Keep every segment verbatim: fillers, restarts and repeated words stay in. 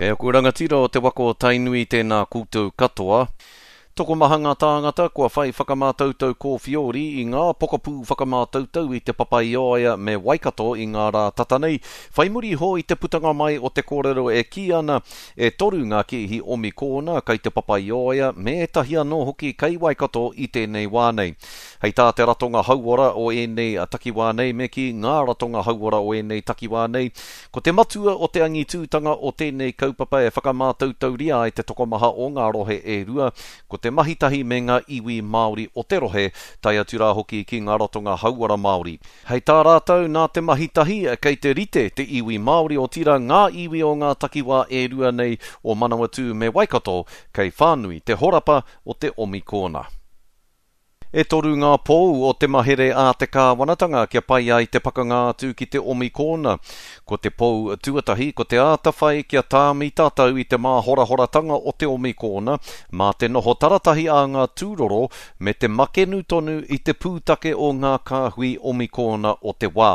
E aku rangatira o te waka o Tainui, tēnā koutou katoa. Tokomaha ngā tāngata kua whai whakamātautau kōwhiori i ngā pokapū whakamātautau i Te Papaioea me Waikato i ngā rā tata nei, whai muri iho i te putanga mai o te kōrero e kī ana e toru ngā kēhi omikōna kei Te Papaioea me ētahi anō hoki kei Waikato i tēnei wā nei. Hei tā te ratonga hauora o ēnei takiwā nei, me kī ngā ratonga hauora o ēnei takiwā nei, ko te matua o te angitūtanga o tēnei kaupapa e whakamātautauria ai te tokomaha o ngā rohe e rua, ko te mahi tahi me ngā iwi Māori o te rohe, tae atu rā hoki ki ngā ratonga hauora Māori. Hei tā rātou, nā te mahi tahi, kei te rite te iwi Māori, otirā ngā iwi o ngā takiwā e rua nei o Manawatū me Waikato, kei whānui te horapa o te omikōna. E toru ngā pou o te mahere a te kāwanatanga kia pai ai te pakanga atu ki te omikōna. Ko te pou tuatahi, ko te āta whai kia tāmi tātou i te māhorahoratanga o te omikōna, mā te noho taratahi a ngā tūroro me te makenu tonu i te pūtake o ngā kāhui omikōna o te wā.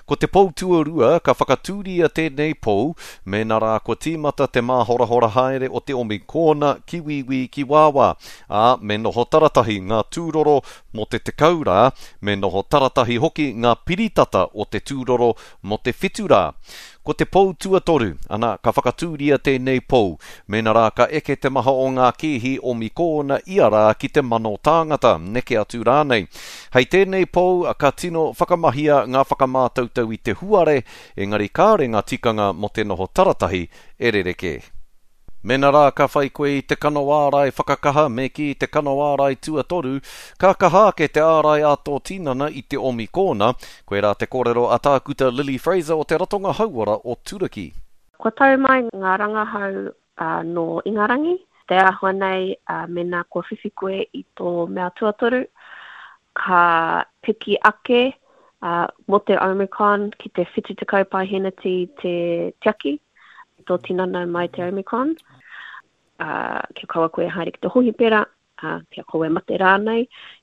Ko te pou tuarua, ka whakatūria tēnei pou, mēnā rā kua tīmata te māhorahora haere o te omikōna ki wīwī ki wāwā, ā, me noho taratahi ngā tūroro mō te tekau rā, me noho taratahi hoki ngā piritata o te tūroro mō te whitu rā. Ko te pou tuatoru, ana, ka whakatūria tēnei pou, mēnā rā ka eke te maha o ngā kēhi omikōna ia rā ki te mano tāngata, neke atu rānei. Hei tēnei pou, ka tino whakamahia ngā whakamātautau i te huare, engari kāre ngā tikanga mō te noho taratahi e rerekē. Mēnā rā ka whai koe i te kano ārai whakakaha me kī te kano ārai tuatoru, ka kaha ake te ārai a tō tinana i te omikōna, koirā te kōrero a Tākuta Lily Fraser o te Ratonga Hauora o Turaki. Kua tau mai ngā rangahau uh, nō Ingarangi, te āhua nei uh, mēnā kua whiwhi koe i tō mea tuatoru, ka piki ake uh, mō te Omicron ki te whitu tekau paeheneti te tiaki i tō tinana mai te Omicron. Uh, kia kaua koe haere ki te hohipera, uh, kia kaua e mate rānei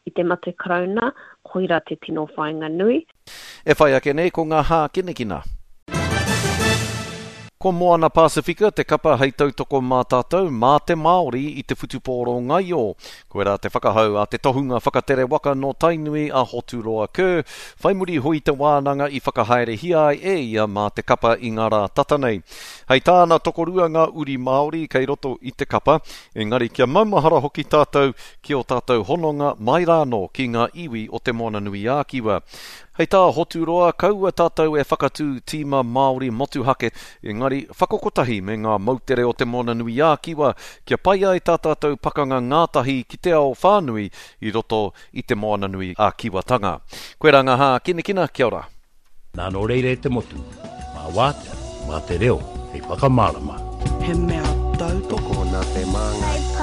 i te mate karauna, koira te tino whāinga nui. E whai ake nei ko ngā hākinakina. Ko Moana Pasifika te kapa hei tautoko mā tātou, mā te Māori i te whutupōro ngaio. Koirā te whakahau a te tohunga whakatere waka nō Tainui a Hoturoa Kerr, whai muri iho i te wānanga i whakahaerehia ai e ia mā te kapa i ngā rā tata nei. Hei tāna tokorua ngā uri Māori kei roto i te kapa, engari kia maumahara hoki tātou ki ō tātou hononga mai rānō ki ngā iwi o Te Moananui-a-Kiwa. Hei tā Hoturoa, kaua tātou e whakatū tīma Māori motuhake, engari whakakotahi me ngā moutere o Te Moananui-a-Kiwa kia pai ai tā tātou pakanga ngātahi ki te ao whānui i roto i Te Moananui-a-Kiwatanga. Koirā ngā hākinakina, kia ora. Nā nō reira e te motu, mā wātea, mā te reo, hei whakamārama. He mea tautoko Tokona te māngai.